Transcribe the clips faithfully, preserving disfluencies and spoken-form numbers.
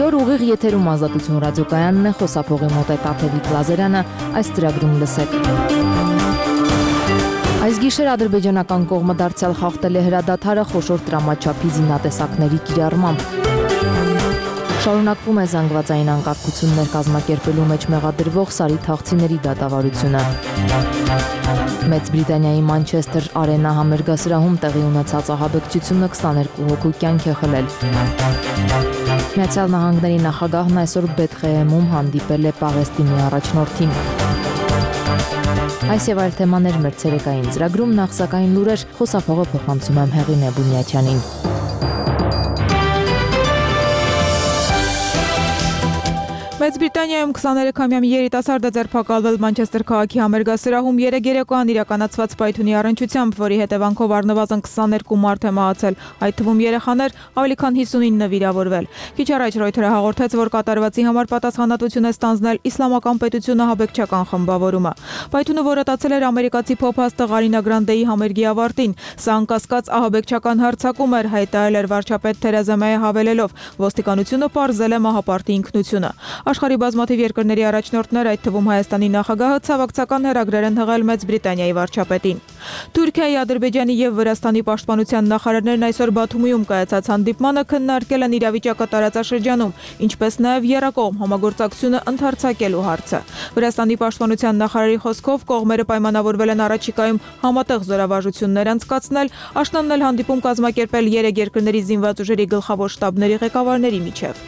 Այսօր ուղիղ եթերում Ազատություն ռադիոկայանն է, խոսափողի մոտ է Տաթևիկ Լազարյանը, այս ծրագրում լսեք։ Այս գիշեր ադրբեջանական կողմը դարձյալ խախտել է հրադադարը խոշոր տրամաչափի զինատեսակների կիրառմամբ։ Շարունակվում է զանգվածային անկարգություններ կազմակերպելու մեջ մեղադրվող Սարի թաղցիների դատավարությունը։ Մեծ Բրիտանիայի Մանչեսթեր Արենա համերգասրահում տեղի ունեցած ահաբեկչությունը քսաներկու հոգու կյանք է խլել։ Միացյալ Նահանգների նախագահն այսօր Բեթխեհեմում հանդիպել է Պաղեստինի առաջնորդին։ Այս եւ այլ թեմաներ մեր ցերեկային ծրագրում, նախ սակայն լուրեր, խոսափողը փոխանցում եմ Հեղինե Բունյաթյանին։ Մեծ Բրիտանիայում քսաներեքամյա երիտասարդ է ձերբակալվել Մանչեսթեր քաղաքի համերգասրահում երեգերեկոյան իրականացված պայթյունի առնչությամբ, որի հետևանքով առնվազն քսաներկու մարդ է մահացել, այդ թվում երեխաներ, ավելի քան հիսունինը վիրավորվել։ Քիչ առաջ Ռոյթերը հաղորդեց, որ կատարվածի համար պատասխանատվություն է ստանձնել Իսլամական պետությունը ահաբեկչական խմբավորումը։ Պայթյունը որոտացել էր ամերիկացի փոփ-աստղ Արինա Գրանդեի համերգի ավարտին։ Սա անկասկած ահաբեկչական հարձակում էր, հայտարարել էր վարչապետ Թերեզա Մեյը հավելելով. ոստիկանությունը պարզել է մահապարտի ինքնությունը։ Աշխարհի բազմաթիվ երկրների առաջնորդներ, այդ թվում Հայաստանի նախագահը, ցավակցական հեռագրեր են հղել Մեծ Բրիտանիայի վարչապետին։ Թուրքիայի, Ադրբեջանի եւ Վրաստանի պաշտպանության նախարարներն այսօր Բաթումիում կայացած հանդիպմանը քննարկել են իրավիճակը տարածաշրջանում, ինչպես նաեւ եռակողմ համագործակցությունը ընդհանրացակելու հարցը։ Վրաստանի պաշտպանության նախարարի խոսքով կողմերը պայմանավորվել են առաջիկայում համատեղ զորավարժություններ անցկացնել, աշնանն էլ հանդիպում կազմակերպել երեք երկրների զինված ուժերի գլխավոր շտաբների ղեկավարների միջև։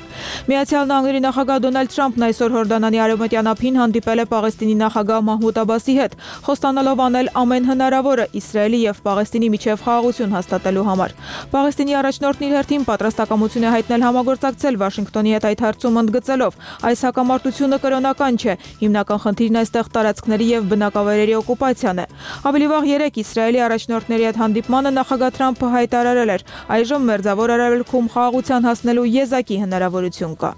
Միացյալ Նահանգների նախագահ Դոնալդ Թրամփն այսօր Հորդանանի արևմտյան ափին հանդիպել է Պաղեստինի նախագահ Մահմուդ Աբասի հետ, խոստանալով անել ամեն հնարավորը Իսրայելի եւ Պաղեստինի միջև խաղաղություն հաստատելու համար։ Պաղեստինի առաջնորդն իր հերթին պատրաստակամություն է հայտնել համագործակցել Վաշինգտոնի հետ այդ հարցում, ընդգծելով. այս հակամարտությունը կրոնական չէ, հիմնական խնդիրն այստեղ տարածքների եւ բնակավայրերի օկուպացիան է։ Ավելի վաղ երեկ Իսրայելի առաջնորդների հետ հանդիպմանը նախագահ Թրամփը հայտարարել էր. այժմ մերձավոր արևելքում խաղաղության հասնելու եզակի հնարավորություն կա։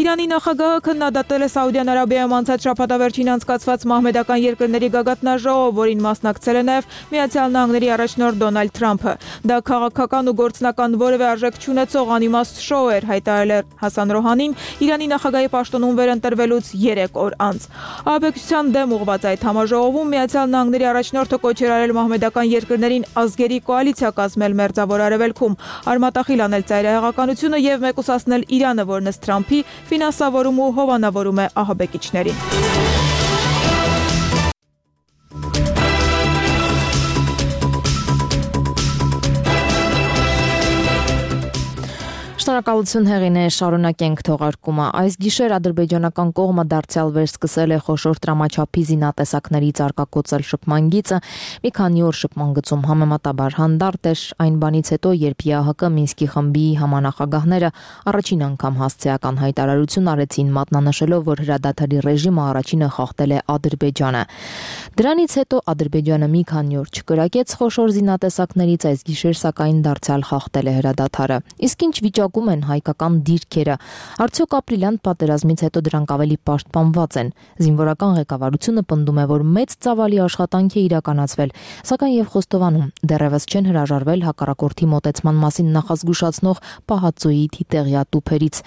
Իրանի նախագահը քննադատել է Սաուդյան Արաբիայում անցած շաբաթավերջին անցկացված մահմեդական երկրների գագաթնաժողով, որին մասնակցել է նաև Միացյալ Նահանգների առաջնորդ Դոնալդ Թրամփը։ Դա քաղաքական ու գործնական որևէ արժեք չունեցող անիմաստ շոու էր, հայտարարել Հասան Ռոհանին Իրանի նախագահի պաշտոնում վերընտրվելուց երեք օր անց։ Ահաբեկչության դեմ ուղղված այդ համաժողովում Միացյալ Նահանգների առաջնորդը կոչ էր արել մահմեդական երկրներին ազգերի կոալիցիա կազմել մերձավոր արևելքում, արմատախիլ անել ծայրահեղականությունը եւ մեկուսացնել Իրանը, որն ըստ Թրամփի ֆինանսավորում ու հովանավորում է ահաբեկիչներին։ Շնորհակալություն Հեղինե, շարունակենք թողարկումը։ Այս գիշեր ադրբեջանական կողմը դարձյալ վերսկսել է խոշոր տրամաչափի զինատեսակներից արկակոծել շփման գիծը։ Մի քանի օր շփման գծում համեմատաբար հանդարտ էր, այն բանից հետո, երբ ԵԱՀԿ Մինսկի խմբի համանախագահները առաջին անգամ հասցեական հայտարարություն արեցին, մատնանշելով, որ հրադադարի ռեժիմը առաջինը խախտել է Ադրբեջանը։ Դրանից հետո Ադրբեջանը մի քանի օր չկրակեց խոշոր զինատեսակներից, այս գիշեր սակայն դարձյալ խախտել է հրադադարը։ Իսկ ինչ վիճակում են հայկական դիրքերը, արդյոք ապրիլյան պատերազմից հետո դրանք ավելի պաշտպանված են։ Զինվորական ղեկավարությունը պնդում է, որ մեծ ծավալի աշխատանք է իրականացվել, սակայն եւ Խոստովանում դեռևս չեն հրաժարվել հակառակորդի մոտեցման մասին նախազգուշացնող Պահածոյի թիտեղյա տուփերից։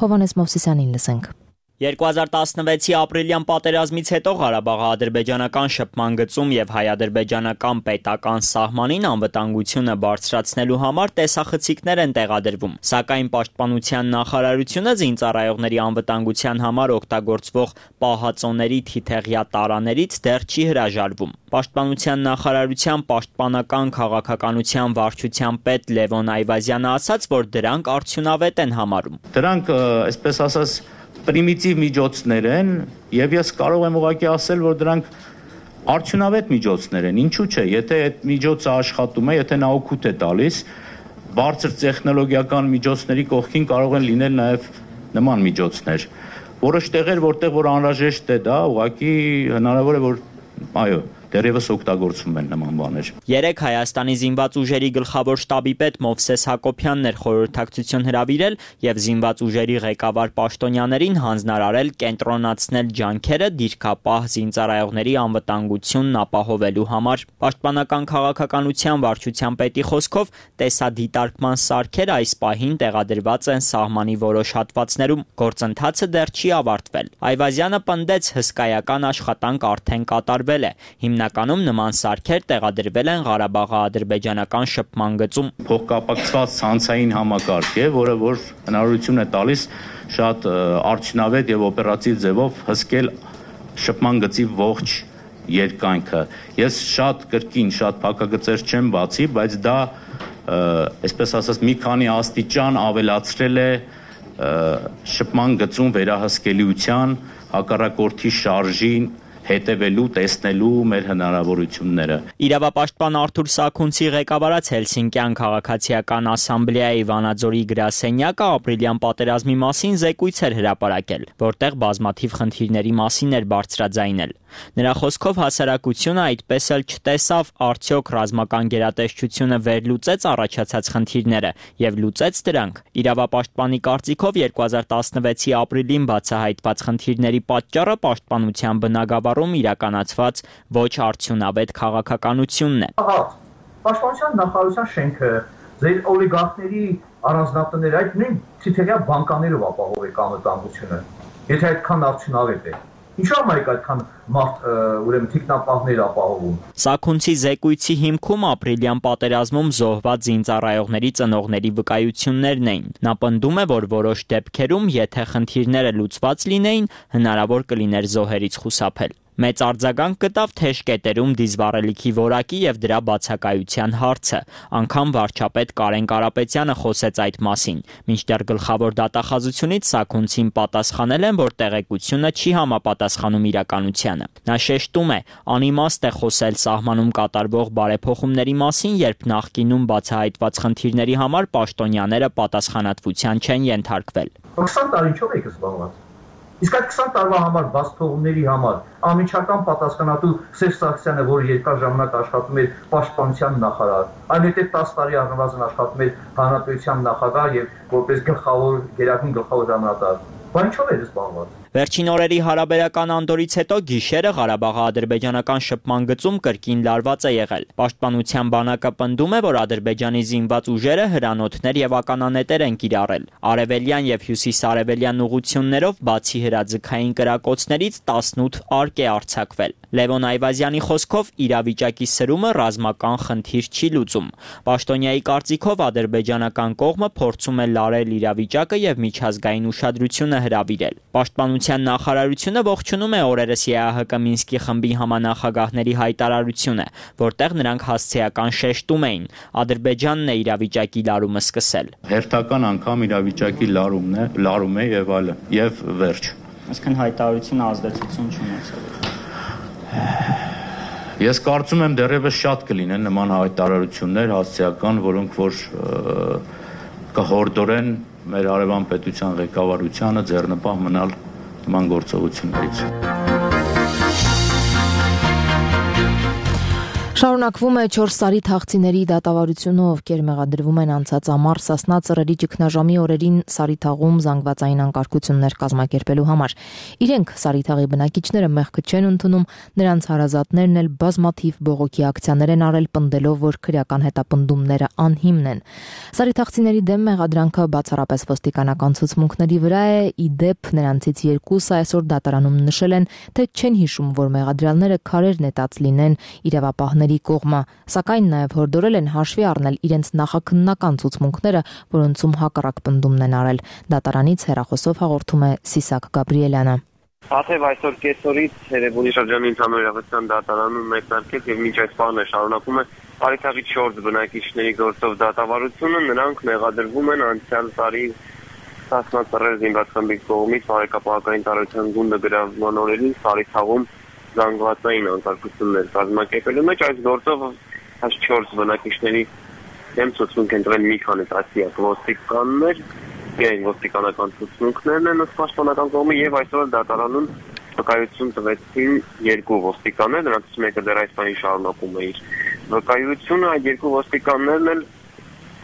Հովհաննես Մովսիսյանին լսենք։ երկու հազար տասնվեցի ապրիլյան պատերազմից հետո Ղարաբաղի ադրբեջանական շփման գծում եւ հայ-ադրբեջանական պետական սահմանին անվտանգությունը բարձրացնելու համար տեսախցիկներ են տեղադրվում, սակայն պաշտպանության նախարարությունը զինծառայողների անվտանգության համար օգտագործվող պահածոների թիթեղյա տարաներից դեռ չի հրաժարվում։ Պաշտպանության նախարարության պաշտպանական քաղաքականության վարչության պետ Լևոն Այվազյանը ասաց, որ դրանք արդյունավետ են համարում։ Դրանք, այսպես ասած, պրիմիտիվ միջոցներ են եւ ես կարող եմ ուղղակի ասել, որ դրանք արդյունավետ միջոցներ են։ Ինչու՞ չէ, եթե այդ միջոցը աշխատում է, եթե նա օգուտ է տալիս, բարձր տեխնոլոգիական միջոցների կողքին կարող են լինել նաեւ նման միջոցներ։ Որոշ տեղեր, որտեղ որ անհրաժեշտ է դա, ուղղակի հնարավոր է, որ այո, դեռևս օգտագործվում են նման բաներ։ Երեկ Հայաստանի զինված ուժերի գլխավոր շտաբի պետ Մովսես Հակոբյանն էր խորհրդակցություն հրավիրել եւ զինված ուժերի ղեկավար պաշտոնյաներին հանձնարարել կենտրոնացնել ջանքերը դիրքապահ զինծառայողների անվտանգությունն ապահովելու համար։ Պաշտպանական քաղաքականության վարչության պետի խոսքով տեսադիտարկման սարքեր այս պահին տեղադրված են սահմանի որոշ հատվածներում։ Գործընթացը դեռ չի ավարտվել։ Այվազյանը պնդեց հսկայական աշխատանք արդեն կատարվել է։ Հիմնականում նման սարքեր տեղադրվել են Ղարաբաղի-ադրբեջանական շփման գծում։ Փոխկապակցված ցանցային համակարգ է, որը որ հնարավորություն է տալիս շատ արդյունավետ եւ օպերատիվ ձևով հսկել շփման գծի ողջ երկայնքը։ Ես շատ կրկին, շատ փակագծեր չեմ բացի, բայց դա, այսպես ասած, մի քանի աստիճան ավելացրել է շփման գծում վերահսկելիության, հակառակորդի շարժին հետևելու, տեսնելու մեր հնարավորությունները։ Իրավապաշտպան Արթուր Սաքունցի ղեկավարած Հելսինկյան քաղաքացիական ասամբլեայի Վանաձորի գրասենյակը ապրիլյան պատերազմի մասին զեկույց էր հրապարակել, որտեղ բազմաթիվ խնդիրների մասին էր բարձրաձայնել։ Նրա խոսքով հասարակությունը այդպես էլ չտեսավ արդյոք ռազմական գերատեսչությունը վերլուծեց առաջացած խնդիրները եւ լուծեց դրանք։ Իրավապաշտպանի կարծիքով երկու հազար տասնվեցի ապրիլին բացահայտված խնդիրների պատճառը պաշտպանության բնագավառում իրականացված ոչ արդյունավետ քաղաքականությունն է։ Ահա, պաշտպանության նախարարության շենքը, ձեր օլիգարխների առանձնատները, այդ նույն ցիթերյա բանկաներով ապահովեք անվտանգությունը։ Եթե այդքան արդյունավետ է, ինչու՞ ամայք այդքան մարդ ուրեմն թիկնապահներ ապահովում։ Սաքունցի զեկույցի հիմքում ապրիլյան պատերազմում զոհված զինծառայողների ծնողների վկայություններն էին։ Նա պնդում է, որ որոշ դեպքերում, եթե խնդիրները լուծված լինեին, հնարավոր կլիներ զոհերից խուսափել։ Մեծ արձագանք գտավ թեժ կետերում դիզվառելիքի որակի եւ դրա բացակայության հարցը։ Անգամ վարչապետ Կարեն Կարապետյանը խոսեց այդ մասին։ Մինչդեռ գլխավոր դատախազությունից Սաքունցին պատասխանել են, որ տեղեկությունը չի համապատասխանում իրականությանը։ Նա շեշտում է, անիմաստ է խոսել սահմանում կատարվող բարեփոխումների մասին, երբ նախկինում բացահայտված խնդիրների համար պաշտոնյաները պատասխանատվության չեն ենթարկվել։ քսան տարի ինչով եք զբաղված։ Իսկ այդ քսան տարվա համար բաց թողումների համար անմիջական պատասխանատու Սերժ Սարգսյանը, որը երկար ժամանակ աշխատում էր պաշտպանության նախարար, այնուհետև տասը տարի առնվազն աշխատում էր հանրապետության նախագահ եւ որպես գլխավոր գերագույն գլխավոր հրամանատար։ Բա ինչով էր զբաղված։ Վերջին օրերի հարաբերական անդորից հետո գիշերը Ղարաբաղի-ադրբեջանական շփման գծում կրկին լարված է եղել։ Պաշտպանության բանակը պնդում է, որ Ադրբեջանի զինված ուժերը հրանոթներ եւ ականանետեր են կիրառել։ Արևելյան եւ հյուսիսարևելյան ուղություններով բացի հրաձգային կրակոցներից տասնութ արկ է արձակվել։ Լևոն Այվազյանի խոսքով իրավիճակի սրումը ռազմական խնդիր չի լուծում։ Պաշտոնյայի կարծիքով ադրբեջանական կողմը փորձում է լարել իրավիճակը եւ միջազգային ուշադրությունը հրավիրել։ Պաշտպանության նախարարությունը ողջունում է օրերս ԵԱՀԿ Մինսկի խմբի համանախագահների հայտարարությունը, որտեղ նրանք հասցեական շեշտում էին. Ադրբեջանն է իրավիճակի լարումը սկսել։ Հերթական անգամ իրավիճակի լարումն է, լարում է եւ այլն, եւ վերջ։ Այսինքն հայտարարությունը ազդեցություն չունեցավ։ Ես կարծում եմ դեռևս շատ կլինեն նման հայտարարություններ հասցեական, որոնք որ կհորդորեն մեր արևան պետության ղեկավարությանը ձեռնպահ մնալ նման գործողություններից։ Շարունակվում է չորս տարի թաղցիների դատավարությունը, ովքեր մեղադրվում են անցած ամառ Սասնա ծռերի ճգնաժամի օրերին Սարիթաղում զանգվածային անկարգություններ կազմակերպելու համար։ Իրենք Սարիթաղի բնակիչները մեղքը չեն ընդունում, նրանց հարազատներն էլ բազմաթիվ բողոքի ակցիաներ են արել, պնդելով, որ քրեական հետապնդումները անհիմն են։ Սարիթաղցիների դեմ մեղադրանքը բացառապես ոստիկանական ցուցմունքների վրա է, ի դեպ նրանցից երկուսը այսօր դատարանում նշել են, թե չեն հիշում, որ մեղադրյալները քարեր նետած լինեն իրավապահների կողմը, սակայն նաև հորդորել են հաշվի առնել իրենց նախաքննական ցուցմունքները, որոնցում հակառակ պնդումն են արել։ Դատարանից հեռախոսով հաղորդում է Սիսակ Գաբրիելյանը։ Աթև այսօր կեսօրից Երևանի շրջանի ընդհանուր իրավասության դատարանում մեկնարկեց եւ մինչ այս պահն է շարունակում է Սարիթաղի չորս բնակիչների գործով դատավարությունը, նրանք մեղադրվում են անցյալ տարի Սասնա ծռեր զինված խմբի կողմից բարեկապահական տարածության գունդը գրավման օրերին Սարիթաղում զանգվածային անկարգություններ կազմակերպելու մեջ այս գործով այս չորս բնակիչների դեմ ցուցմունք են տվել մի քանի տասնյակ ոստիկաններ, իրեն ոստիկանական ցուցմունքներն են ըստ պաշտպանական կողմի եւ այսօր դատարանում վկայություն տվեցին երկու ոստիկաններ, նրանցից մեկը դեռ այս պահին շարունակում է իր վկայությունը, այդ երկու ոստիկաններն էլ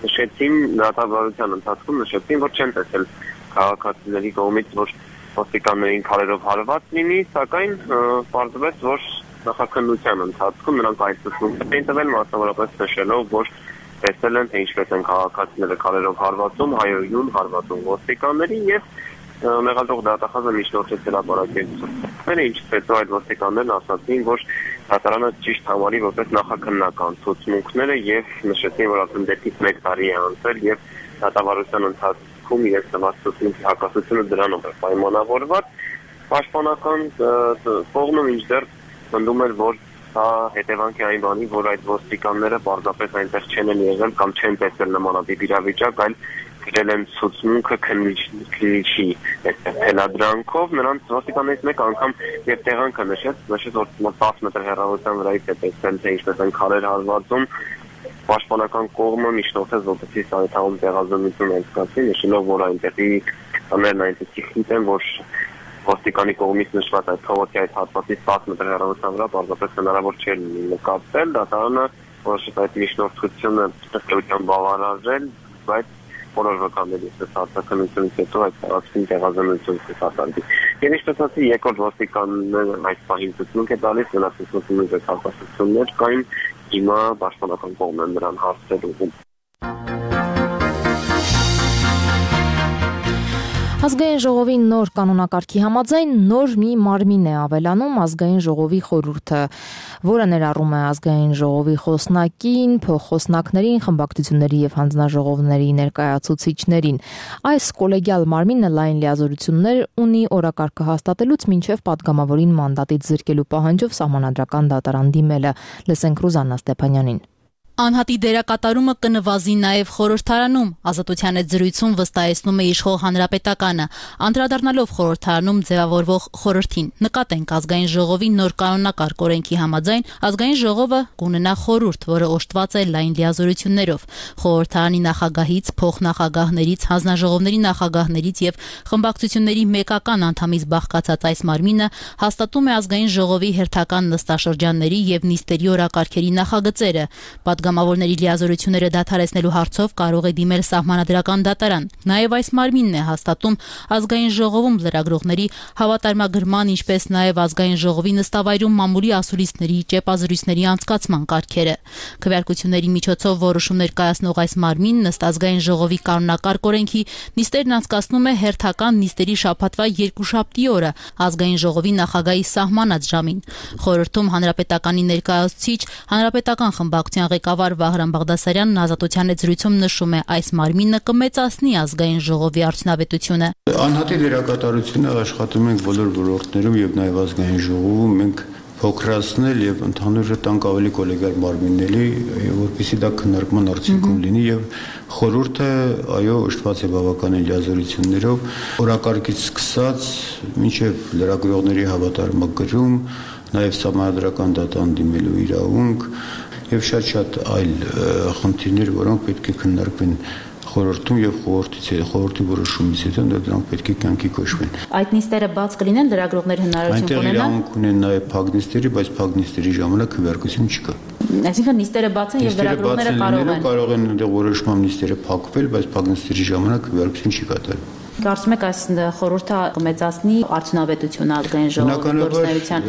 նշեցին դատավարության ընթացքում նշեցին, որ չեն տեսել քաղաքացիների կողմից, որ ոստիկաններին քարերով հարված լինի, սակայն պարզվեց, որ նախաքննության ընթացքում նրանք այդ ցուցմունք են տվել, մասնավորապես նշելով, որ տեսել են, թե ինչպես են քաղաքացիները քարերով հարվածում, հայոյուն հարվածում ոստիկաններին եւ մեղադրող դատախազը միջնորդեց հրապարակեցուցիչները, ինչից հետո այդ ոստիկաններն ասացին, որ դատարանը ճիշտ համարի որպես նախաքննական ցուցմունքները եւ նշեցին, որ արդեն դեպից մեկ տարի է անցել եւ դատավարության ընթացքում իրենց տված ցուցմունքի հակասությունը դրանով է պայմանավորված։ Պաշտպանական կողմը մինչդեռ պնդում էր, որ սա հետևանք է այն բանի, որ այդ ոստիկանները պարզապես այնտեղ չեն եղել կամ չեն տեսել նմանատիպ իրավիճակ, այլ գրել են ցուցմունքը քննիչի թելադրանքով, նրանց ոստիկաններից մեկ անգամ եւ տեղանքը նշեց, նշեց, որ տասը մետր հեռավորության վրայից է տեսել, թե ինչպես են քարեր հարվածում, պաշտպանական կողմը միջնորդեց, որպեսզի սա այդտեղում տեղազնություն անցկացվի, նշելով, որ այնտեղի տներն այնպեսի խիտ են, որ ոստիկանի կողմից նշված այդ փողոցի այդ հատվածից տասը մետր հեռավորության վրա պարզապես հնարավոր չէ նկատել, դատարանը որոշեց այդ միջնորդությունը ըստ բավարարել, բայց բոլոր վկաներից արտաքննությունից հետո այդ տարածքին տեղազնություն կկատարվի։ Եվ ինչպես ասի, երկրորդ ոստիկանները այս պահին ցուցմունք է տալիս, մնացած ցուցմունքի հակասություններ կային, հիմա պաշտպանական կողմն է նրան հարցեր ուղղում։ Ազգային ժողովի նոր կանոնակարգի համաձայն նոր մի մարմին է ավելանում ազգային ժողովի խորհուրդը, որը ներառում է ազգային ժողովի խոսնակին, փոխխոսնակներին, խմբակցությունների եւ հանձնաժողովների ներկայացուցիչներին։ Այս կոլեգիալ մարմինը լայն լիազորություններ ունի օրակարգը հաստատելուց մինչեւ պատգամավորին մանդատից զրկելու պահանջով սահմանադրական դատարան դիմելը։ Լսենք Ռուզաննա Ստեփանյանին։ Անհատի դերակատարումը կնվազի նաև խորհրդարանում, Ազատության հետ զրույցում վստահեցնում է իշխող հանրապետականը, անդրադառնալով խորհրդարանում ձևավորվող խորհրդին։ Նկատենք ազգային ժողովի նոր կանոնակարգ օրենքի համաձայն ազգային ժողովը կունենա խորհուրդ, որը օժտված է լայն լիազորություններով։ Խորհրդարանի նախագահից, փոխնախագահներից, հանձնաժողովների նախագահներից եւ խմբակցությունների մեկական անդամից բաղկացած այս մարմինը հաստատում է ազգային ժողովի հերթական նստաշրջանների եւ նիստերի օրակարգերի նախագծերը։ Պատգամավորների լիազորությունները դադարեցնելու հարցով կարող է դիմել սահմանադրական դատարան։ Նաև այս մարմինն է հաստատում ազգային ժողովում լրագրողների հավատարմագրման, ինչպես նաև ազգային ժողովի նստավայրում մամուլի ասուլիսների, ճեպազրույցների անցկացման կարգերը։ Քվեարկությունների միջոցով որոշումներ կայացնող այս մարմինն ըստ ազգային ժողովի կանոնակարգ օրենքի նիստերն անցկացնում է հերթական նիստերի շաբաթվա երկուշաբթի օրը ազգային ժողովի նախագահի սահմանած ժամին։ Խորհրդում հանրապետականի ներկայացուցիչ, հանրապետական խմբակցության ղեկավար Վահրամ Բաղդասարյանն Ազատության հետ զրույցում նշում է, այս մարմինը կմեծացնի ազգային ժողովի արդյունավետությունը։ Անհատի դերակատարությունը աշխատում ենք բոլոր ոլորտներում եւ նաեւ ազգային ժողովում մենք փոքրացնել եւ ընդհանուր տանք ավելի կոլեգիալ մարմինների, որպեսզի դա քննարկման արդյունքում լինի եւ խորհուրդը այո օժտված է բավականին լիազորություններով, օրակարգից սկսած մինչեւ լրագրողների հավատարմագրում, նաեւ սահմանադրական դատարան դիմելու իրավունք եւ շատ-շատ այլ խնդիրներ, որոնք պետք է քննարկվեն խորհրդում եւ խորհրդից խորհրդի որոշումից հետո դրանք պետք է կյանքի կոչվեն։ Այդ նիստերը բաց կլինեն, լրագրողներ հնարավորություն կունենան։ Այնտեղ իրավունք ունեն նաեւ փակ նիստերի, բայց փակ նիստերի ժամանակ քվեարկություն չկա։ Այսինքն նիստերը բաց են եւ լրագրողները կարող են կարող են այնտեղ որոշմամբ նիստերը փակվել, բայց փակ նիստերի ժամանակ քվեարկություն չի կատարվում։ Կարծում եք այս խորհուրդը կմեծացնի արդյունավետությունը ազգային ժողովի գործունեության,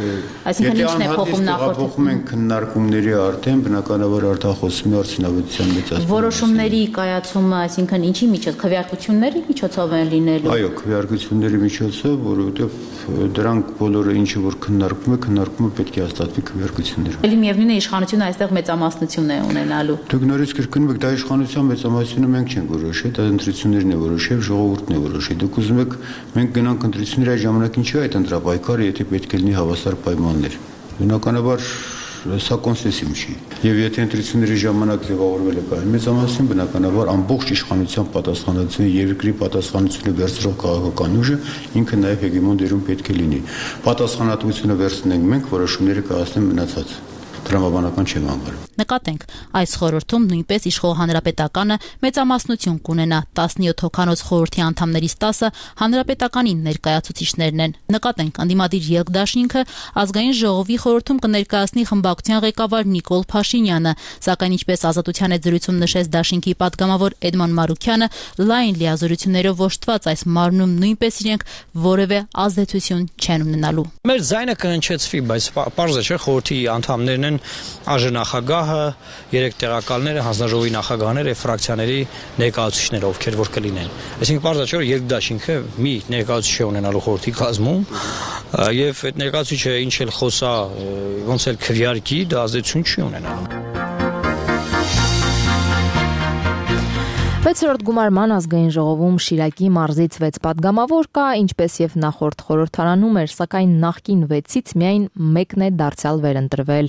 այսինքն ինչն է փոխում նախորդ։ Փոխում են քննարկումների արդեն բնականաբար արտախոսում է արդյունավետության մեծացումը։ Որոշումների կայացումը, այսինքն ինչի միջոց, քվեարկությունների միջոցով են լինելու։ Այո, քվեարկությունների միջոցով, որովհետև դրանք բոլորը ինչը որ քննարկվում է, քննարկումը պետք է հաստատվի քվեարկություններով։ Էլի միևնույն է իշխանությունը այստեղ մեծամասնություն է ունենալու։ Դուք նորից կրկնում եք, դա իշխանության մեծամասնությունը մենք չենք որոշել, դա ընտրություններն է որոշել, ժողովուրդն է որոշել։ Դուք ուզում եք մենք գնանք ընտրությունների այդ ժամանակին չի այդ ընտրապայքարը, եթե պետք է լինի հավասար պայմաններ։ Բնականաբար սա կոնսենսիվ չի։ Եվ եթե ընտրությունների ժամանակ ձևավորվել է կային մեծամասնություն, բնականաբար ամբողջ իշխանության պատասխանատվությունը, երկրի պատասխանատվությունը վերցրող քաղաքական ուժը ինքը նաև հեգեմոն դերում պետք է լինի։ Պատասխանատվությունը վերցնենք մենք, որոշումները կայացնեն մնացած։ տրամաբանական չեմ անվարում։ Նկատենք, այս խորհրդում նույնպես իշխող հանրապետականը մեծամասնություն կունենա, տասնյոթ հոգանոց խորհրդի անդամներից տասը հանրապետականին ներկայացուցիչներն են։ Նկատենք, ընդդիմադիր Ելք-դաշինքը ազգային ժողովի խորհրդում կներկայացնի խմբակցության ղեկավար Նիկոլ Փաշինյանը, սակայն ինչպես Ազատության հետ զրույցում նշեց դաշինքի պատգամավոր Էդման Մարուքյանը, լայն լիազորություններով ոչտված այս մարմնում նույնպես իրենք որևէ ազդեցություն չեն ունենալու։ Մեր ձայնը կհնչեցվի, բայց պարզ է, չէ, խորհրդի անդամներն են ԱԺ-նախագահը, երեք տեղակալները, հանձնաժողովի նախագահները եւ ֆրակցիաների ներկայացուցիչները, ովքեր որ կլինեն։ Այսինքն պարզ է, չէ, որ Ելք-դաշինքը մի ներկայացուցիչ է ունենալու խորհրդի կազմում եւ այդ ներկայացուցիչը ինչ էլ խոսա, ոնց էլ քվեարկի, դա ազդեցություն չի ունենալու։ վեցերորդ գումարման ազգային ժողովում Շիրակի մարզից վեց պատգամավոր կա, ինչպես եւ նախորդ խորհրդարանում էր, սակայն նախկին վեցից միայն մեկն է դարձյալ վերընտրվել։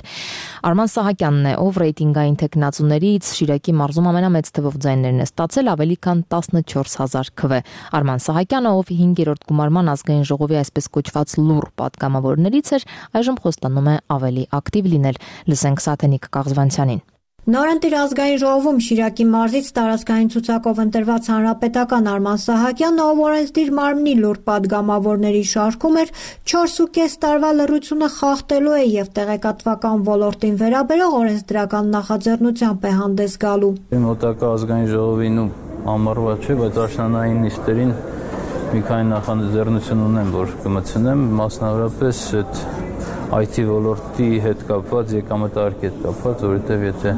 Արման Սահակյանն է, ով ռեյտինգային տեխնացուներից Շիրակի մարզում ամենամեծ թվով ձայներն է ստացել, ավելի քան տասնչորս հազար քվե։ Արման Սահակյանը, ով հինգերորդ գումարման ազգային ժողովի այսպես կոչված լուռ պատգամավորներից էր, այժմ խոստանում է ավելի ակտիվ լինել։ Լսենք Սաթենիկ Կաղզվանցյանին։ Նորընտիր ազգային ժողովում Շիրակի մարզից տարածքային ցուցակով ընտրված հանրապետական Արման Սահակյանը, ով օրենսդիր մարմնի լուռ պատգամավորների շարքում էր, չորս ու կես տարվա լռությունը խախտելու է եւ տեղեկատվական ոլորտին վերաբերող օրենսդրական նախաձեռնությամբ է հանդես գալու։ Մոտակա ազգային ժողովին ու ամառվա չէ, բայց աշնանային նիստերին մի քանի նախաձեռնություն ունեմ, որ կմտցնեմ, մասնավորապես այդ այ թի ոլորտի հետ կապված, եկամտարկի հետ կապված, որովհետև եթե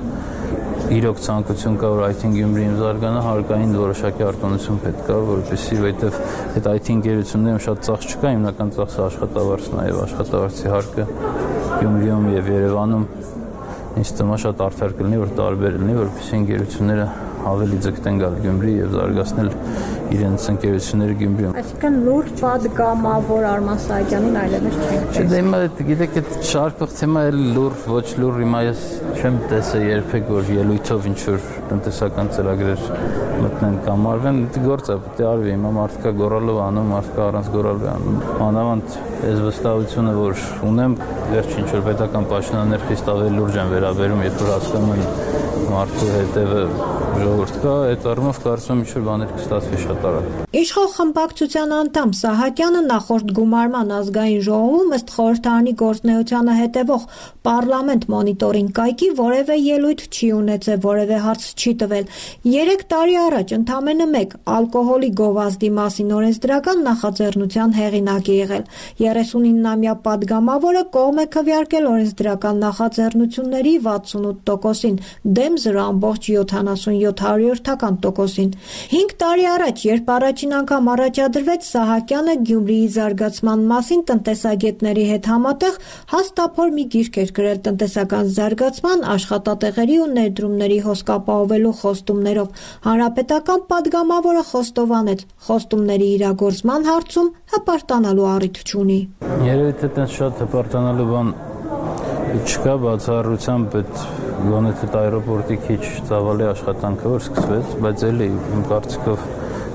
իրոք ցանկություն կա, որ այ թին Գյումրիում զարգանա, հարկային որոշակի արտոնություն պետք է, որովհետև որովհետև այդ այ թի ընկերություններում շատ ծախս չկա, հիմնական ծախսը աշխատավարձն է եւ աշխատավարձի հարկը Գյումրիում եւ Երևանում ինձ թվում է շատ արդար կլինի, որ տարբեր լինի, որովհետև ընկերությունները ավելի ձգտեն գալ Գյումրի եւ զարգացնել իրենց ընկերությունները Գյումրիում։ Այսինքն լուրջ պատգամավոր Արման Սահակյանին այլևս չենք տեսել։ Չէ, դե հիմա գիտեք, այդ շարքող թեմա էլ լուր, ոչ լուր, հիմա ես չեմ տեսել երբեք, որ ելույթով ինչ որ տնտեսական ծրագրեր մտնեն կամ արվեն, դա գործ է, պետք է արվի, հիմա մարդկա գոռալով անում, մարդկա առանց գոռալու անում։ Մանավանդ այս վստահությունը, որ ունեմ, վերջ ինչ որ պետական պաշտոնյաներ խիստ ավելի լուրջ են վերաբերում, երբ որ հասկանում են մարդու հետևը ժողովուրդ կա, այդ առումով կարծում եմ ինչ-որ բաներ կստացվի շատ արագ։ Իշխող խմբակցության անդամ Սահակյանը նախորդ գումարման ազգային ժողովում ըստ խորհրդարանի գործունեությանը հետևող պարլամենտ մոնիտորինգ կայքի որևէ ելույթ չի ունեցել, որևէ հարց չի տվել։ Երեք տարի առաջ ընդամենը մեկ ալկոհոլի գովազդի մասին օրենսդրական նախաձեռնության հեղինակ է եղել։ երեսունինամյա պատգամավորը կողմ է քվեարկել օրենսդրական նախաձեռնությունների վաթսունութ տոկոսին, դեմ զրո ամբողջ յոթանասունյոթ հարյուրյորդական տոկոսին։ Հինգ տարի առաջ, երբ առաջին անգամ առաջադրվեց Սահակյանը Գյումրիի զարգացման մասին տնտեսագետների հետ համատեղ հաստափոր մի գիրք էր գրել տնտեսական զարգացման, աշխատատեղերի ու ներդրումների հոսք ապահովելու խոստումներով։ Հանրապետական պատգամավորը խոստովանեց, խոստումների իրագործման հարցում հպարտանալու առիթ չունի։ Երևի թե տենց շատ հպարտանալու բան չկա, բացառությամբ այդ գոնե թե այրոպորտի քիչ ծավալի աշխատանքը որ սկսվեց, բայց էլի իմ կարծիքով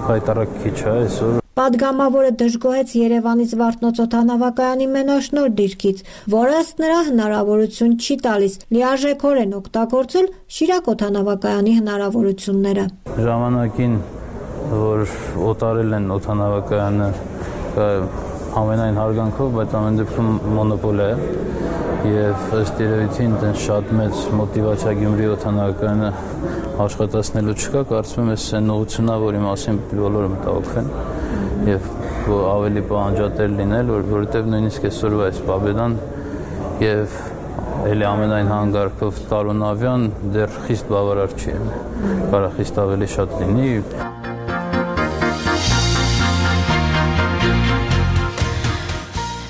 հայտարարք քիչ է այսօր։ Պատգամավորը դժգոհեց Երևանից Վարդնոց օդանավակայանի մենաշնոր դիրքից, որը ըստ նրա հնարավորություն չի տալիս լիարժեքորեն օգտագործել Շիրակ օդանավակայանի հնարավորությունները։ Ժամանակին, որ օտարել են օդանավակայանը ամենայն հարգանքով, բայց ամեն դեպքում մոնոպոլ է եւ ըստ երևույթին այդպես շատ մեծ մոտիվացիա Գյումրի օդանավակայանը աշխատացնելու չկա, կարծում եմ այս նողությունա, որի մասին բոլորը մտահոգվեն եւ ավելի պահանջատեր լինել, որովհետեւ նույնիսկ այսօրվա այս պաբեդան եւ էլի ամենայն հանգարքով տարոնավյան դեռ խիստ բավարար չի, կարող խիստ ավելի շատ լինի։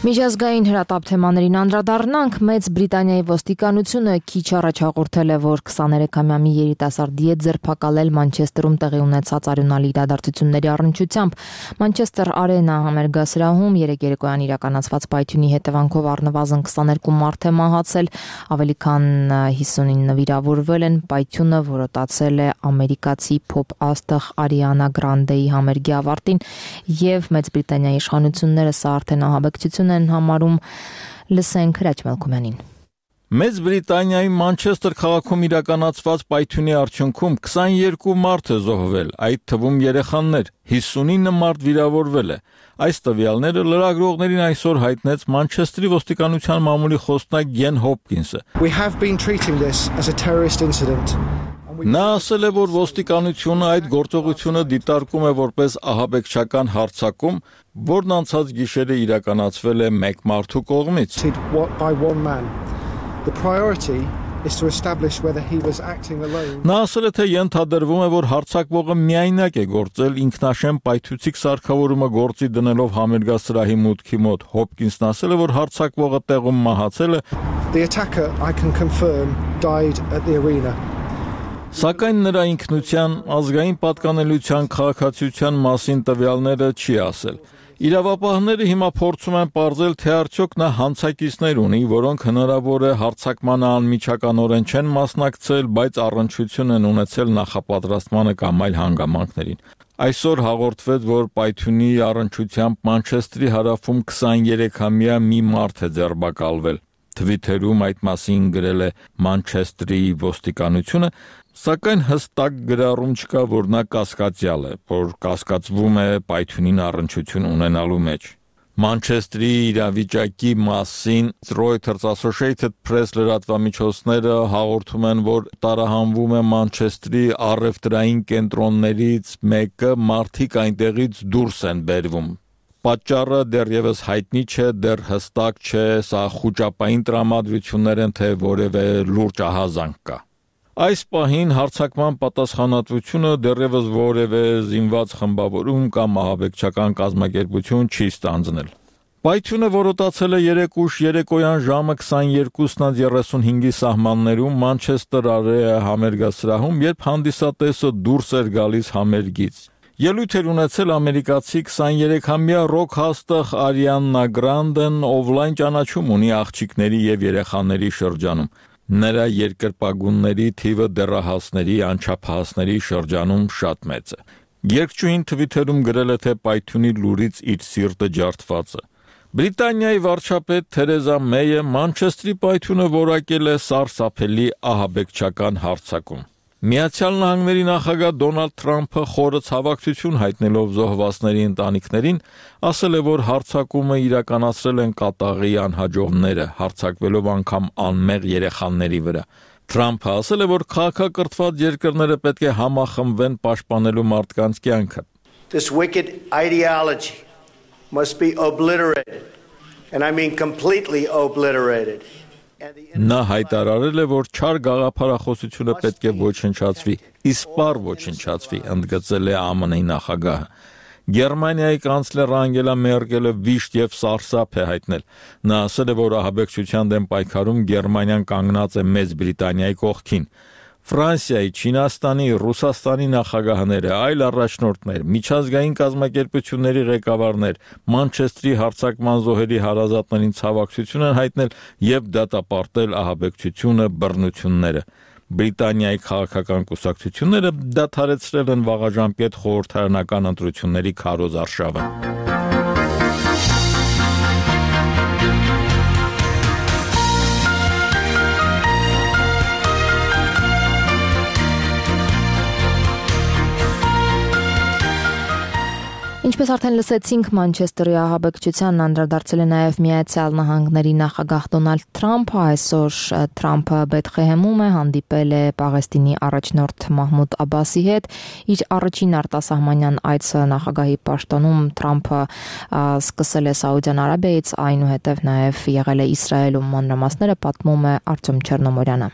Միջազգային հրատապ թեմաներին անդրադառնանք, Մեծ Բրիտանիայի ոստիկանությունը քիչ առաջ հաղորդել է, որ քսաներեքամյա մի երիտասարդի հետ ձերբակալել Մանչեսթերում տեղի ունեցած արյունալի իրադարձությունների առնչությամբ։ Մանչեսթեր Արենա համերգասրահում երեկ երեկոյան իրականացված պայթյունի հետևանքով առնվազն քսաներկու մարդ է մահացել, ավելի քան հիսունինը վիրավորվել են։ Պայթյունը որոտացել է ամերիկացի փոփ աստղ Արիանա Գրանդեի համերգի ավարտին եւ Մեծ Բրիտանիայի իշխանությունները սա արդեն ահաբեկչություն են համարում։ Լսենք Հրաչ Մելքումյանին։ Մեծ Բրիտանիայի Մանչեսթեր քաղաքում իրականացված պայթյունի արդյունքում քսաներկու մարդ է զոհվել, այդ թվում երեխաներ, հիսունինը մարդ վիրավորվել է։ Այս տվյալները լրագրողներին այսօր հայտնեց Մանչեստրի ոստիկանության մամուլի խոսնակ Գեն Հոփկինսը։ We have been treating this as a terrorist incident. Նա ասել է, որ ոստիկանությունը այդ գործողությունը դիտարկում է որպես ահաբեկչական հարձակում, որն անցած գիշերը իրականացվել է մեկ մարդու կողմից։ The priority is to establish whether he was acting alone. Նա ասել է, թե ենթադրվում է, որ հարձակվողը միայնակ է գործել ինքնաշեն պայթուցիկ սարքավորումը գործի դնելով համերգասրահի մուտքի մոտ։ Հոփկինսն ասել է, որ հարձակվողը տեղում մահացել է։ The attacker, I can confirm, died at the arena. Սակայն նրա ինքնության, ազգային պատկանելիության, քաղաքացիության մասին տվյալները չի ասել։ Իրավապահները հիմա փորձում են պարզել, թե արդյոք նա հանցակիցներ ունի, որոնք հնարավոր է հարձակմանը անմիջականորեն չեն մասնակցել, բայց առնչություն են ունեցել նախապատրաստմանը կամ այլ հանգամանքներին։ Այսօր հաղորդվեց, որ պայթյունի առնչությամբ Մանչեստրի հարավում քսաներեքամյա մի մարդ է ձերբակալվել։ Թվիթերում այդ մասին գրել է Մանչեստրի ոստիկանությունը, սակայն հստակ գրառում չկա, որ նա կասկածյալ է, որ կասկածվում է պայթյունին առնչություն ունենալու մեջ։ Մանչեստրի իրավիճակի մասին Reuters Associated Press լրատվամիջոցները հաղորդում են, որ տարահանվում է Մանչեստրի առևտրային կենտրոններից մեկը, մարդիկ այնտեղից դուրս են բերվում։ Պատճառը դեռևս հայտնի չէ, դեռ հստակ չէ, սա խուճապային տրամադրություններ են, թե որևէ լուրջ ահազանգ կա։ Այս պահին հարձակման պատասխանատվությունը դեռևս որևէ զինված խմբավորում կամ ահաբեկչական կազմակերպություն չի ստանձնել։ Պայթյունը որոտացել է երեկ ուշ երեկոյան ժամը քսաներկուսն երեսունհինգի սահմաններում Մանչեսթեր Արեա համերգասրահում, երբ հանդիսատեսը դուրս էր գալիս համերգից։ Ելույթ էր ունեցել ամերիկացի քսաներեքամյա ռոք հաստղ Արիաննա Գրանդեն, ով լայն ճանաչում ունի աղջիկների եւ երեխաների շրջանում։ Նրա երկրպագունների թիվը դեռահասների, անչափահասների շրջանում շատ մեծ է։ Երգչուհին Թվիթերում գրել է, թե պայթյունի լուրից իր սիրտը ջարդված է։ Բրիտանիայի վարչապետ Թերեզա Մեյը Մանչեստրի պայթյունը որակել է սարսափելի ահաբեկչական հարձակում։ Միացյալ Նահանգների նախագահ Դոնալդ Թրամփը խորը ցավակցություն հայտնելով զոհվածների ընտանիքներին, ասել է, որ հարձակումը իրականացրել են կատաղի անհաջողները, հարձակվելով անգամ անմեղ երեխաների վրա։ Թրամփը ասել է, որ քաղաքակրթված երկրները պետք է համախմբվեն պաշտպանելու մարդկանց կյանքը։ This wicked ideology must be obliterated, and I mean completely obliterated. Նա հայտարարել է, որ չար գաղափարախոսությունը պետք է ոչնչացվի, իսպառ ոչնչացվի, ընդգծել է ԱՄՆ-ի նախագահը։ Գերմանիայի կանցլեր Անգելա Մերկելը վիշտ եւ սարսափ է հայտնել։ Նա ասել է, որ ահաբեկչության դեմ պայքարում Գերմանիան կանգնած է Մեծ Բրիտանիայի կողքին։ Ֆրանսիայի, Չինաստանի, Ռուսաստանի նախագահները, այլ առաջնորդներ, միջազգային կազմակերպությունների ղեկավարներ Մանչեստրի հարձակման զոհերի հարազատներին ցավակցություն են հայտնել եւ դատապարտել ահաբեկչությունը, բռնությունները։ Բրիտանիայի քաղաքական կուսակցությունները դադարեցրել են վաղաժամկետ խորհրդարանական ընտրությունների քարոզ արշավը։ Ինչպես արդեն լսեցինք, Մանչեսթերի ահաբեկչությանն անդրադարձել է նաև Միացյալ Նահանգների նախագահ Դոնալդ Թրամփը։ Այսօր Թրամփը Բեթխեհեմում է, հանդիպել է Պաղեստինի առաջնորդ Մահմուդ Աբասի հետ։ Իր առաջին արտասահմանյան այցը նախագահի պաշտոնում Թրամփը սկսել է Սաուդյան Արաբիայից, այնուհետև նաև եղել է Իսրայելում։ Մանրամասները պատմում է Արտյոմ Չեռնոմորյանը։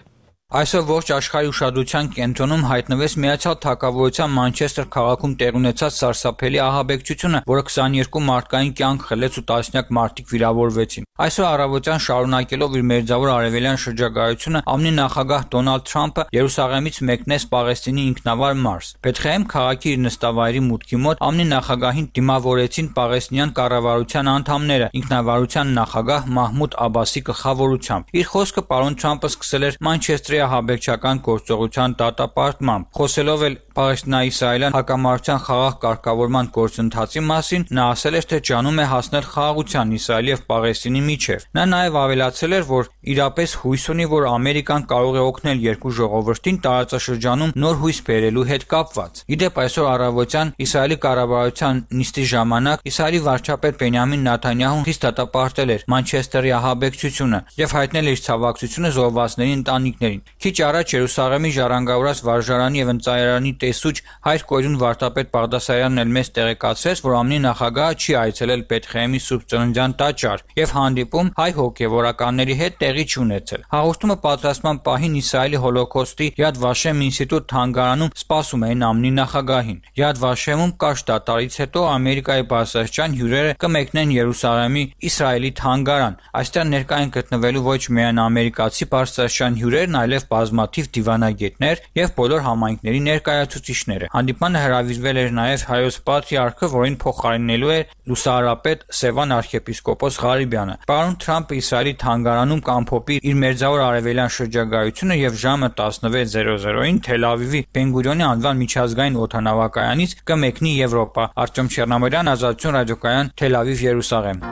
Այսօր ողջ աշխարհի ուշադրության կենտրոնում հայտնվեց Միացյալ Թագավորության Մանչեսթեր քաղաքում տեղի ունեցած սարսափելի ահաբեկչությունը, որը քսաներկու մարդկային կյանք խլեց ու տասնյակ մարդիկ վիրավորվեցին։ Այսօր առավոտյան շարունակելով իր մերձավոր արևելյան շրջագայությունը, ԱՄՆ-ի նախագահ Դոնալդ Թրամփը Երուսաղեմից մեկնեց Պաղեստինի ինքնավար Մարս։ Բեթխեհեմ քաղաքի իր նստավայրի մուտքի մոտ ԱՄՆ-ի նախագահին դիմավորեցին պաղեստինյան կառավարության անդամները, ինքնավարության նախագահ Մահմուդ Աբասի գլխավորությամբ։ Իր խոսքը պարոն Թրամփը սկսել էր Մանչեստրի ահաբեկչական գործողության դատապարտմամբ, խոսելով էլ Պաղեստինա-իսրայելյան հակամարտության խաղաղ կարգավորման գործընթացի մասին նա ասել էր, թե ջանում է հասնել խաղաղության Իսրայելի եւ Պաղեստինի միջեւ։ Նա նաեւ ավելացել էր, որ իրապես հույս ունի, որ Ամերիկան կարող է օգնել երկու ժողովրդին տարածաշրջանում նոր հույս բերելու հետ կապված։ Իդեպ այսօր առավոտյան Իսրայելի կառավարության նիստի ժամանակ Իսրայելի վարչապետ Բենյամին Նեթանյահուն խիստ դատապարտել էր Մանչեսթերի ահաբեկչությունը եւ հայտնել իր ցավակցությունը զոհվածների ընտանիքներին։ Քիչ առաջ Երուսաղեմի ժառանգավորած վարժարանի եւ ընծայարանի տեսուչ հայր Կորյուն վարդապետ Բաղդասարյանն էլ մեզ տեղեկացրեց, որ ԱՄՆ նախագահը չի այցելել Բեթխեհեմի Սուրբ Ծննդյան տաճար եւ հանդիպում հայ հոգեվորականների հետ տեղի չունեցել։ Հաղորդումը պատրաստման պահին Իսրայելի հոլոկոստի Yad Vashem ինստիտուտ թանգարանում սպասում էին ԱՄՆ նախագահին։ Yad Vashem-ում կարճ դատարից հետո Ամերիկայի բարձրաստիճան հյուրերը կմեկնեն Երուսաղեմի Իսրայելի թանգարան։ Այստեղ ներկա են գտնվելու ոչ միայն ամերիկացի բարձրաստիճան հյուրերն, այլև բազմաթիվ դիվանագետներ եւ բոլոր համայնքների ներկայացուցիչները։ Հանդիպանը հրավիրվել էր նաեւ հայոց պատրիարքը, որին փոխարինելու էր լուսահարապետ Սևան arczepiskopos Ղարիբյանը։ Պարոն Թրամփը Իսրայելի թանգարանում կամփոփի իր մերձավոր արևելյան շրջագայությունը եւ ժամը տասնվեց զերո զերոին Թել Ավիվի Բեն-Գուրիոնի անվան միջազգային օդանավակայանից կմեկնի Եվրոպա։ Արտյոմ Չեռնամիրյան, Ազատություն ռադիոկայան, Թել Ավիվ, Երուսաղեմ։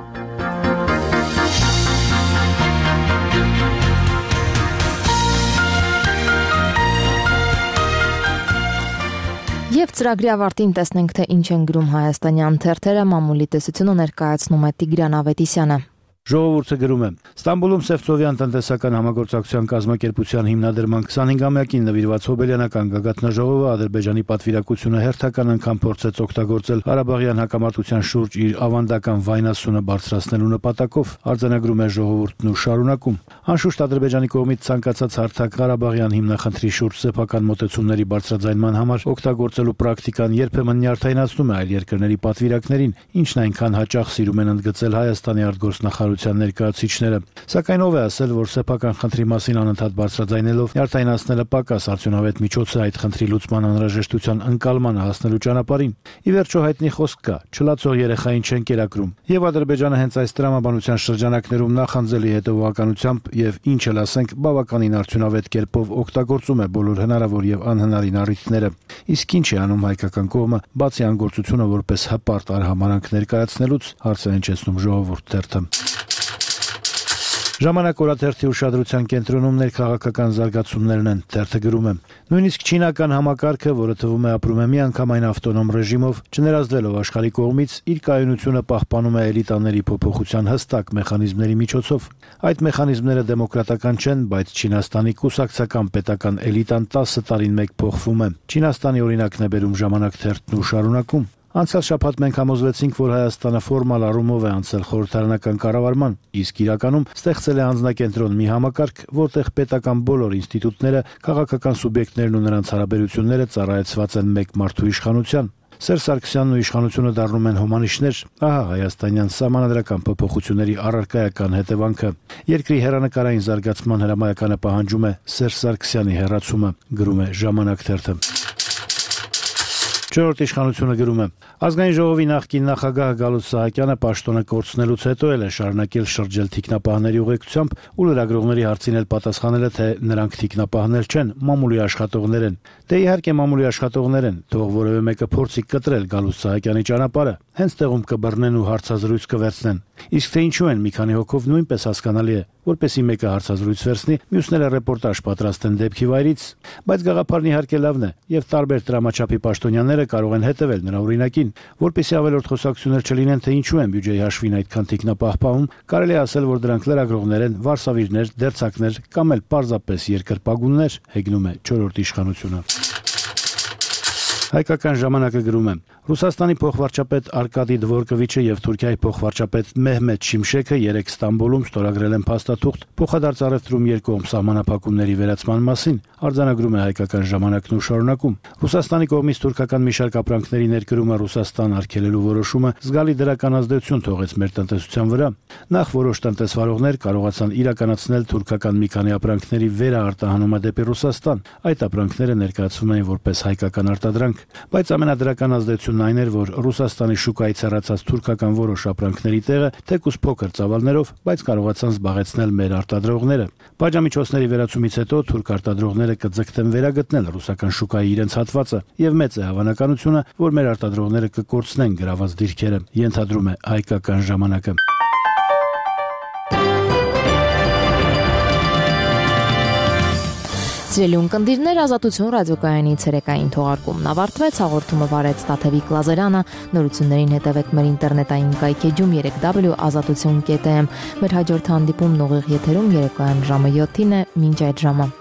Եվ ծրագրի ավարտին տեսնենք, թե ինչ են գրում հայաստանյան թերթերը, մամուլի տեսությունը ներկայացնում է Տիգրան Ավետիսյանը։ Ժողովուրդը գրում է. Ստամբուլում Սևծովյան տնտեսական համագործակցության կազմակերպության հիմնադրման քսանհինգամյակին նվիրված հոբելյանական գագաթնաժողովը Ադրբեջանի պատվիրակությունը հերթական անգամ փորձեց օգտագործել Ղարաբաղյան հակամարտության շուրջ իր ավանդական վայնասունը բարձրացնելու նպատակով, արձանագրում է ժողովուրդն ու շարունակում։ Անշուշտ Ադրբեջանի կողմից ցանկացած հարթակ Ղարաբաղյան հիմնախնդրի շուրջ սեփական մոտեցումների բարձրաձայնման համար օգտագործելու պրակտիկան երբեմն նյարդայնացնում է այլ երկրների պատվիրակներին, ինչն այնքան հաճախ սիրում են ընդգծել Հայաստանի արտգործնախարարության ներկայացուցիչները։ Սակայն ով է ասել, որ սեփական խնդրի մասին անընդհատ բարձրաձայնելով նյարդայնացնելը պակաս արդյունավետ միջոց է այդ խնդրի լուծման անհրաժեշտության ընկալմանը հասնելու ճանապարհին։ Ի վերջո հայտնի խոսք կա. չլացող երեխային չեն կերակրում։ Եվ Ադրբեջանը հենց այս տրամաբանության շրջանակներում նախանձելի հետևողականությամբ եւ ինչ էլ ասենք բավականին արդյունավետ կերպով օգտագործում է բոլոր հնարավոր եւ անհնարին առիթները։ Իսկ ինչ է անում հայկական կողմը, բացի անգործությունը որպես հպարտ արհամարանք ներկայացնելուց, հարցը հնչեցնում Ժողովուրդ թերթը։ Ժամանակ օրաթերթի ուշադրության կենտրոնում ներքաղաքական զարգացումներն են, թերթը գրում է. նույնիսկ չինական համակարգը, որը թվում է ապրում է միանգամայն ավտոնոմ ռեժիմով, չներազդվելով աշխարհի կողմից, իր կայունությունը պահպանում է էլիտաների փոփոխության հստակ մեխանիզմների միջոցով։ Այդ մեխանիզմները դեմոկրատական չեն, բայց Չինաստանի կուսակցական պետական էլիտան տասը տարին մեկ փոխվում է։ Չինաստանի օրինակն է բերում Ժամանակ թերթն ու շարունակում. Անցյալ շաբաթ մենք համոզվեցինք, որ Հայաստանը ֆորմալ առումով է անցել խորհրդարանական կառավարման, իսկ իրականում ստեղծել է անձնակենտրոն մի համակարգ, որտեղ պետական բոլոր ինստիտուտները, քաղաքական սուբյեկտներն ու նրանց հարաբերությունները ծառայեցված են մեկ մարդու իշխանության։ Սերժ Սարգսյանն ու իշխանությունը դառնում են հոմանիշներ, ահա հայաստանյան սահմանադրական փոփոխությունների առարկայական հետևանքը։ Երկրի հերանեկարային զարգացման հրամայականը պահանջում է Սերժ Սարգսյանի հեռացումը, գրում է Ժամանակ թերթը։ Չորրորդ իշխանությունը գրում է. Ազգային ժողովի նախկին նախագահ Գալուստ Սահակյանը պաշտոնը կորցնելուց հետո էլ է շարունակել շրջել թիկնապահների ուղեկցությամբ ու լրագրողների հարցին էլ պատասխանել է, թե նրանք թիկնապահներ չեն, մամուլի աշխատողներ են։ Դե իհարկե մամուլի աշխատողներ են, թող որևէ մեկը փորձի կտրել Գալուստ Սահակյանի ճանապարհը, հենց տեղում կբռնեն ու հարցազրույց կվերցնեն։ Իսկ թե ինչու են մի քանի հոգով նույնպես հասկանալի է, որպեսի մեկը հարցազրույց վերցնի, մյուսները ռեպորտաժ պատրաստեն դեպքի վայրից, բայց գաղափարն իհարկե լավն է, եւ տարբեր դրամաչափի պաշտոնյաները կարող են հետևել նրա օրինակին, որպեսի ավելորդ խոսակցություններ չլինեն, թե ինչու են բյուջեի հաշվին այդքան թիկնապահ պահում, կարելի է ասել, որ դրանք լրագրողներ են, վարսավիրներ, դերձակներ կամ էլ պարզապես երկրպագուններ, հեգնում է չորրորդ իշխանությունը։ Հայկական ժամանակը գրում է. Ռուսաստանի փոխվարչապետ Արկադի Դվորկովիչը եւ Թուրքիայի փոխվարչապետ Մեհմեդ Շիմշեքը երեք Ստամբուլում ստորագրել են փաստաթուղթ փոխադարձ առևտրում երկկողմ սահմանափակումների վերացման մասին, արձանագրում է Հայկական ժամանակն ու շարունակում։ Ռուսաստանի կողմից թուրքական մի շարք ապրանքների ներկրումը Ռուսաստան արգելելու որոշումը զգալի դրական ազդեցություն թողեց մեր տնտեսության վրա։ Նախ որոշ տնտեսվարողներ կարողացան իրականացնել թուրքական մի քանի ապրանքների վերաարտահանումը դեպի Ռուսաստան։ Այդ ապրանքները ներկայացվում էին որպես հայկական արտադրանք, բայց ամենադրական ազդեցությունը տեղեկությունն այն էր, որ Ռուսաստանի շուկայից հեռացած թուրքական որոշ ապրանքների տեղը թեկուզ փոքր ծավալներով, բայց կարողացան զբաղեցնել մեր արտադրողները։ Պատժամիջոցների վերացումից հետո թուրք արտադրողները կձգտեն վերագտնել ռուսական շուկայի իրենց հատվածը, եւ մեծ է հավանականությունը, որ մեր արտադրողները կկորցնեն գրաված դիրքերը, ենթադրում է հայկական ժամանակը։ Սիրելի ունկնդիրներ, Ազատություն ռադիոկայանի ցերեկային թողարկումն ավարտվեց, հաղորդումը վարեց Տաթևիկ Լազարյանը, նորություններին հետևեք մեր ինտերնետային կայքեջում երեք w ազատություն կետ am, մեր հաջորդ հանդիպումն ուղիղ եթերում երեկոյան ժամը յոթին է, մինչ այդ ժամը։